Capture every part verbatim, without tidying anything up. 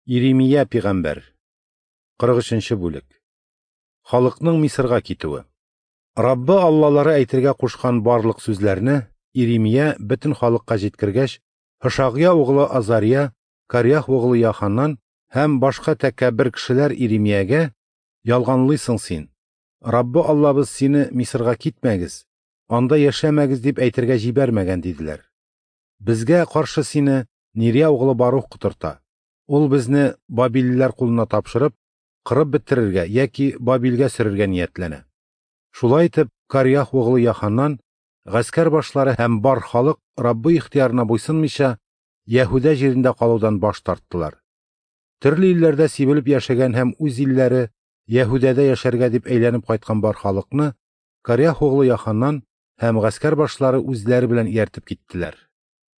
Иремия пигамбәр. кырык өченче бүлек. Халыкның Мисырга китүе. Раббы Аллалары әйтергә кушкан барлык сүзләрне Иремия бөтен халыкка җиткергәч, Һошагъя углы Азария, Кареах углы Яханан һәм башка тәкәббер кешеләр Иремиягә: "Ялганлыйсың син. Раббы Аллабыз сине Мисырга китмәгез, анда яшәмәгез дип әйтергә җибәрмәгән", диделәр. "Безгә каршы сине Нирия углы Барух котырта. Ул безне бабиллеләр кулына тапшырып, кырып бетерергә яки Бабилгә сөрергә ниятләнә". Шулай итеп, Кареах углы Яханан, гаскәр башлары һәм бар халык Раббы ихтыярына буйсынмыйча, Яһүдә җирендә калудан баш тарттылар. Төрле илләрдә сибелеп яшәгән һәм үз илләре Яһүдәдә яшәргә дип әйләнеп кайткан бар халыкны Кареах углы Яханан һәм гаскәр башлары үзләре белән ияртеп киттеләр.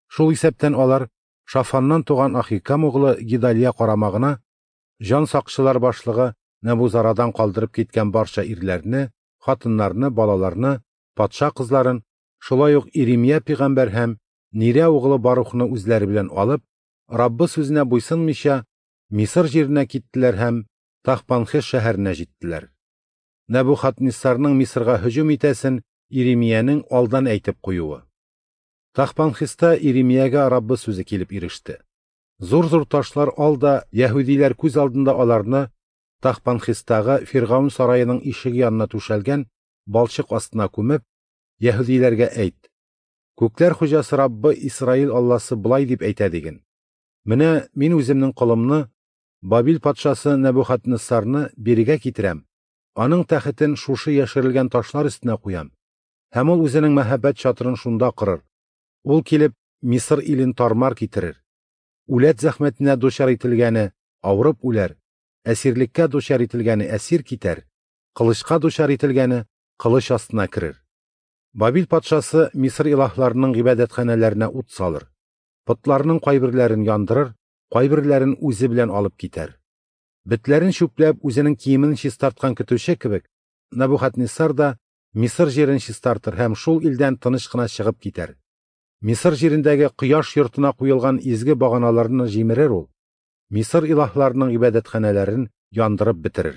Шул исәптән алар Шафаннан туган Ахикам углы Гедалия карамагына җан сакчылар башлыгы Нәбузарадан калдырып киткән барча ирләрне, хатыннарны, балаларны, патша кызларын, шулай ук Иремия пигамбәр һәм Нирия углы Барухны үзләре белән алып, Раббы сүзенә буйсынмыйча, Мисыр җиренә киттеләр һәм Тахпанхес шәһәренә җиттеләр. Нәбухадниссарның Мисырга һөҗүм итәсен Иремиянең алдан әйтеп куюы. Тахпанхеста Иремиягә Раббы сүзе килеп иреште. Зур-зур ташлар ал да яһүдиләр күз алдында аларны Тахпанхестагы Фиргаун сараеның ишеге янына түшәлгән балчык астына күмеп, яһүдиләргә әйт: "Күкләр хуҗасы Раббы Исраил Алласы болай дип әйтә диген: Менә мин үземнең колымны, Бабил патшасы Нәбухадниссарны бирегә китерәм, аның тәхетен шушы яшерелгән ташлар өстенә куям, һәм ул үзенең мәһабәт чатырын шунда корыр. Ул килеп Мисыр илен тармар китерер. Үләт зәхмәтенә дучар ителгәне авырып үләр, әсирлеккә дучар ителгәне әсир китәр, кылычка дучар ителгәне кылыч астына керер. Бабил патшасы Мисыр илаһларының гыйбадәтханәләренә ут салыр, потларының кайберләрен яндырыр, кайберләрен үзе белән алып китәр. Бетләрен чүпләп үзенең киемен чистарткан көтүче кебек, Нәбухадниссар да Мисыр җирен чистартыр һәм шул илдән тыныч кына чыгып китәр. Мисыр җирендәге кояш йортына куелган изге баганаларны җимерер ул, Мисыр илаһларының гыйбадәтханәләрен яндырып бетерер".